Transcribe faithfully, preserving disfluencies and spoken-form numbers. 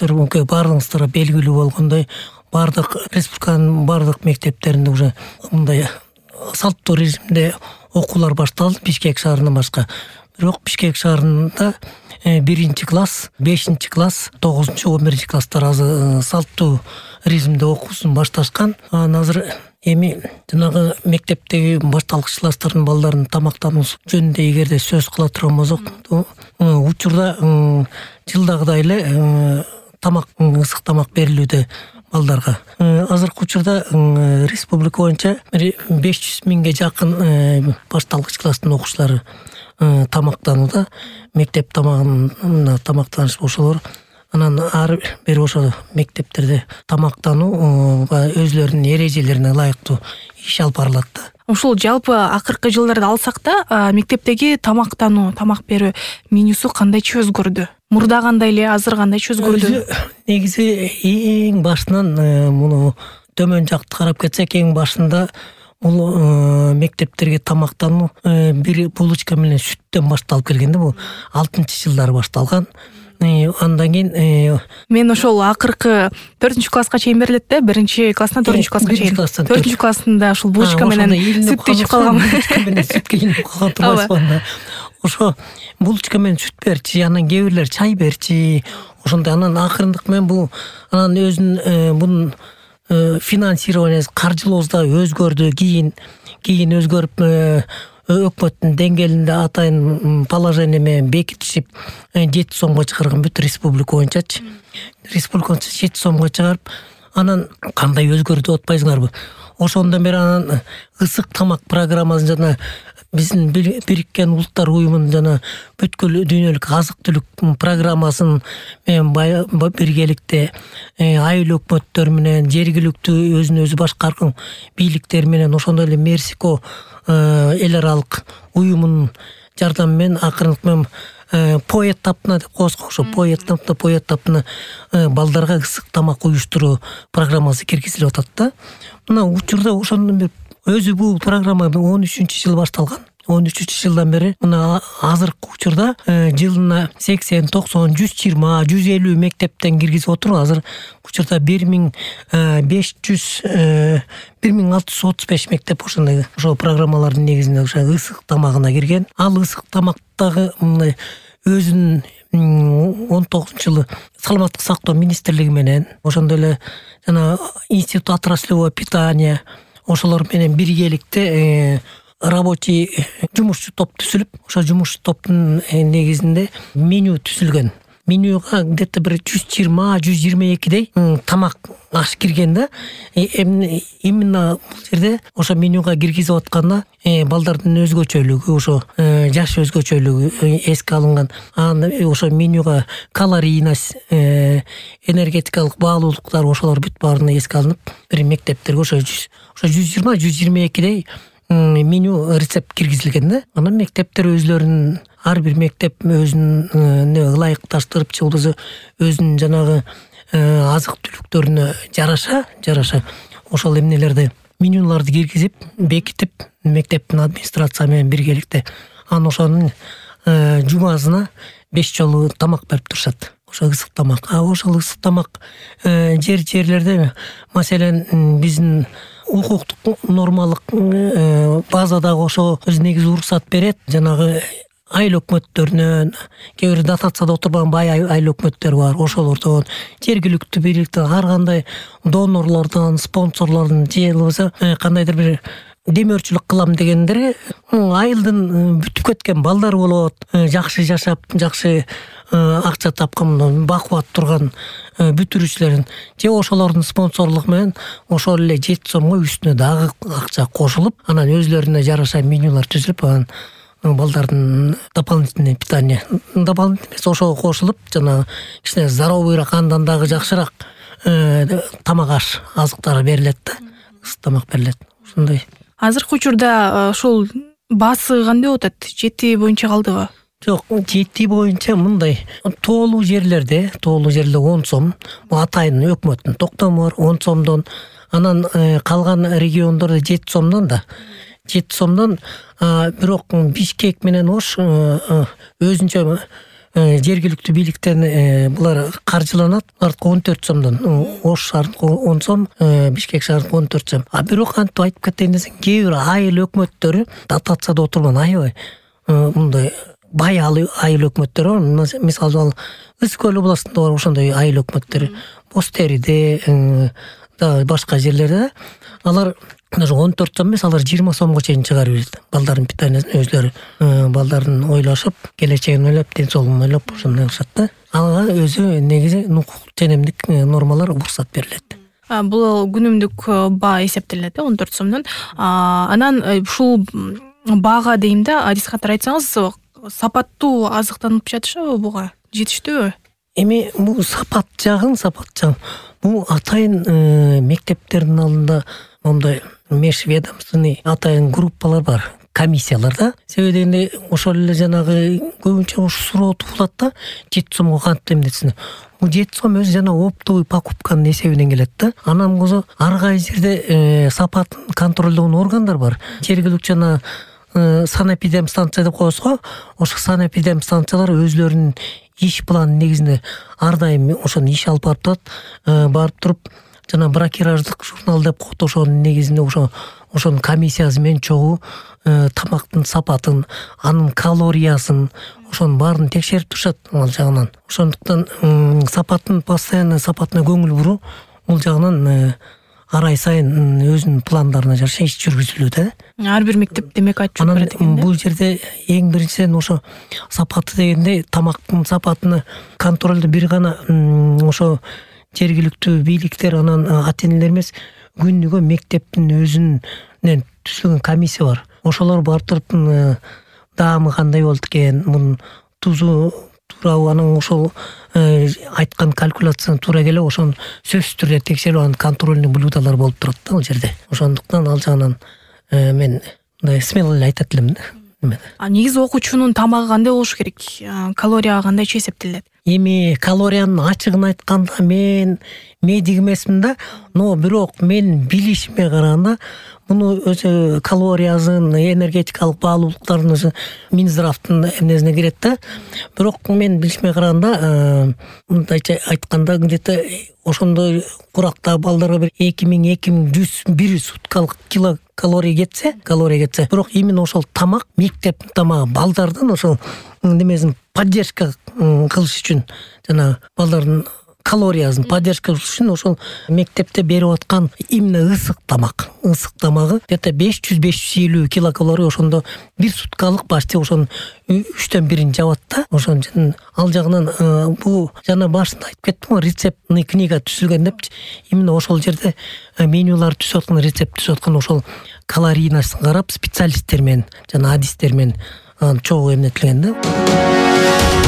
өздөрүңүзгө баардыгыңыздарга белгилүү болгондой баардык республиканын баардык мектептеринде уже мындай салттуу режимде окуулар башталды Бишкек шаарынан башка. Бирок Бишкек шаарында биринчи класс, бешинчи класс, тогузунчу, он биринчи класстар азыр салттуу режимде окуусун башташкан. Анан азыр эми жанагы мектептеги башталгыч класстардын балдарынын тамактануусу жөнүндө эгерде сөз кыла турган болсок, учурда жылдагыдай эле тамак, ысык тамак берилүүдө балдарга. Азыркы учурда республика боюнча беш жүз миңге жакын башталгыч класстын окуучулары тамактанууда. Мектеп тамагына тамактаныш ошолор. Анан ар бир ошо мектептерде тамактанууга өзлөрүнүн эрежелерине ылайыктуу иш алып барылат да. Ушул жалпы акыркы жылдарды алсак да, мектептеги тамактануу, тамак берүү менюсу кандайча өзгөрдү? Мурда кандай эле, азыр кандайча өзгөрдү? Негизи эң башынан муну төмөн жакты карап кетсек, эң башында бул мектептерге тамактануу бир булочка менен сүттөн башталып келген да. Бул алтымынчы жылдары башталган. Андан кийин мен ошол акыркы төртүнчү класска чейин берилет да, биринчи класстан төртүнчү класска чейин. төртүнчү классында ушул булочка менен сүт ичип калгам. Булочка менен сүт кийинип калган турбайсызбы? Ошо булочка менен сүт берчи, анан кээ бирлер чай берчи. Ошондой анан акырындык менен бул анан өзүнүн бунун финансированиясы, каржылоосу да өзгөрдү. Кийин кийин өзгөрүп өкмөттүн деңгээлинде атайын положение менен бекитишип жети сомго чыгарган бүт республика боюнчачы. Республика боюнча жети сомго чыгарып, анан кандай өзгөрдү деп атпайсыңарбы? Ошондон бери анан ысык тамак программасын жана биздин Бириккен Улуттар уюмунун жана бүткүл дүйнөлүк азык түлүк программасын менен биргеликте айыл өкмөттөр менен, жергиликтүү өзүн өзү башкарган бийликтер менен, ошондой эле Мерсико эл аралык уюмунун жардамы менен акырындык менен по этапна деп коебуз. Ошо по этапна по этапна балдарга ысык тамак уюштуруу программасы киргизилип атат да. Мына учурда ошондон бери өзү бул программа он үчүнчү жылы башталган. он үчүнчү жылдан бери мына азыркы учурда жылына сексен, токсон, жүз жыйырма, жүз элүү мектептен киргизип отуруп, азыр учурда бир миң беш жүз, бир миң алты жүз отуз беш мектеп ошондой ошол программалардын негизинде ошо ысык тамагына кирген. Ал ысык тамактагы мындай өзүнүн он тогузунчу жылы саламаттык сактоо министрлиги менен, ошондой эле жана институт отраслевого питания ошолор менен биргеликте рабочий жумушчу топ түзүлүп, ошо жумушчу топтун негизинде меню түзүлгөн. Менюга где-то бир жүз жыйырма, жүз жыйырма экидей тамак аш кирген да. Именно бул жерде ошо менюга киргизип атканда балдардын өзгөчөлүгү, ошо жаш өзгөчөлүгү эске алынган. Анан ошо менюга калорийность, энергетикалык баалуулуктар ошолор бүт баарына эске алынып, бир мектептерге ошо жүз жыйырма, жүз жыйырма экидей меню рецепт киргизилген да. Анан мектептер өзлөрүнүн, ар бир мектеп өзүнүн ылайыкташтырып, же болбосо өзүнүн жанагы азык түлүктөрүнө жараша, жараша ошол эмнелерди, менюларды киргизип, бекитип, мектептин администрация менен биргеликте анан ошонун жумасына беш жолу тамак берип турушат. Ошо ысык тамак. А ошол ысык тамак жер жерлерде, маселен, биздин укуктук нормалык базадагы ошо өз негизи уруксат берет. Жанагы айыл өкмөттөрүнөн, кээ бир дотацияда отурган бай айыл өкмөттөр бар. Ошолордон, жергиликтүү бийликтен, ар кандай донорлордон, спонсорлордон, же болбосо кандайдыр бир демөөрчүлүк кылам дегендерге айылдын бүтүп кеткен балдар болот, жакшы жашап, жакшы акча тапкан, бакубат турган бүтүрүүчүлөрүн, же ошолордун спонсорлугу менен ошол эле жети сомго үстүнө дагы акча кошулуп, анан өзлөрүнө жараша менюлар түзүлүп, анан балдардын дополнительный питание, дополнительный эмес, ошого кошулуп, жана кичине здоровыйраак, андан дагы жакшыраак тамак аш азыктар берилет да, ысык тамак берилет. Ошондой. Азыркы учурда ушул баасы кандай болуп атат? Жети боюнча калдыбы? Жок, жети боюнча мындай тоолуу жерлерде, тоолуу жерлерде он сом, бул атайын өкмөттүн токтому бар, он сомдон, анан калган региондордо жети сомдон да. жети сомдон, бирок Бишкек менен Ош өзүнчө жергиликтүү бийликтен булар каржыланат. Артка он төрт сомдон, Ош шаарыныкы он сом, Бишкек шаарыныкы он төрт сом. А бирок антип айтып кетейин десең, кээ бир айыл өкмөттөрү дотацияда отурган аябай мындай бай айыл өкмөттөрү бар. Мисалы ал Ысык көл областында бар ошондой айыл өкмөттөрү, Боз Териде, башка жерлерде алар даже он төрт сом эмес, алар жыйырма сомго чейин чыгарып берет. Балдардын питаниясын өзлөрү, балдарын ойлошуп, келечегин ойлоп, ден соолугун ойлоп ошондой кылышат да. Ага өзү негизи укук женемдик нормалар уруксат берилет. Бул күнүмдүк баа эсептелет он төрт сомдон. Анан ушул баага дейм да, адис катары айтсаңыз, сапаттуу азыктанып жатышабы буга? Жетиштүүбү? Эми бул сапат жагын, сапат жагын. Бул атайын мектептердин алдында мондай межведомственный атайын группалар бар, комиссиялар да. Себеби дегенде ошол эле жанагы көбүнчө ушу суроо туулат да, жети сомго кантип эмнетсин. Бул жети сом өзү жана оптовый покупканын эсебинен келет да. Анан козо ар кай жерде сапатын контролдогон органдар бар. Жергиликтүү жана санэпидемстанция деп коебуз го. Ошо санэпидемстанциялар өзлөрүнүн иш планын негизинде ар дайым ошону иш алып барып турат. Барып туруп жана бракераждык журнал деп коет, ошонун негизинде ошо ошонун комиссиясы менен чогуу тамактын сапатын, анын калориясын, ошонун баарын текшерип турушат ал жагынан. Ошондуктан сапатын постоянно сапатына көңүл буруу бул жагынан ар ай сайын өзүнүн пландарына жараша иш жүргүзүлүүдө. Ар бир мектеп демек отчет берет экен да. Бул жерде эң биринчиден ошо сапаты дегенде тамактын сапатыны контролду бир гана ошо жергиликтүү бийликтер, анан ата энелер эмес, күнүгө мектептин өзүнүн түзүлгөн комиссия бар. Ошолор барып туруп даамы кандай болду экен, мунун тузу туурабы, анан ошол айткан калькуляцияны туура келе ошону сөзсүз түрдө текшерип, анын контрольный блюдолор болуп турат да ал жерде. Ошондуктан ал жагынан мен мындай смело эле айтат элем да. А негизи окуучунун тамагы кандай болуш керек? Калория кандайча эсептелет? Эми калориянын ачыгын айтканда мен медик эмесмин да, но бирок мен билишиме караганда муну өзү калориясын, энергетикалык баалуулуктарын өзү Минздравдын эмнесине кирет да. Бирок мен билишиме караганда мындайча айтканда где-то ошондой курактагы балдарга бир эки миң эки миң жүз бир суткалык килокалория кетсе, калория кетсе, бирок именно ошол тамак, мектептин тамагы балдардын ошол немесин поддержка кылыш үчүн, жана балдардын калориясын поддержка кылыш үчүн ошол мектепте берип аткан именно ысык тамак, ысык тамагы где-то беш жүз беш жүз элүү килокалория ошондо бир суткалык почти ошонун үчтөн бирин жабат да. Ошон үчүн ал жагынан бул жана башында айтып кеттим го, рецептный книга түзүлгөн депчи. Именно ошол жерде менюлар түзүп аткан, рецепт түзүп аткан ошол калорийнасын карап специалисттер менен жана адистер менен чогуу эмнетилген да.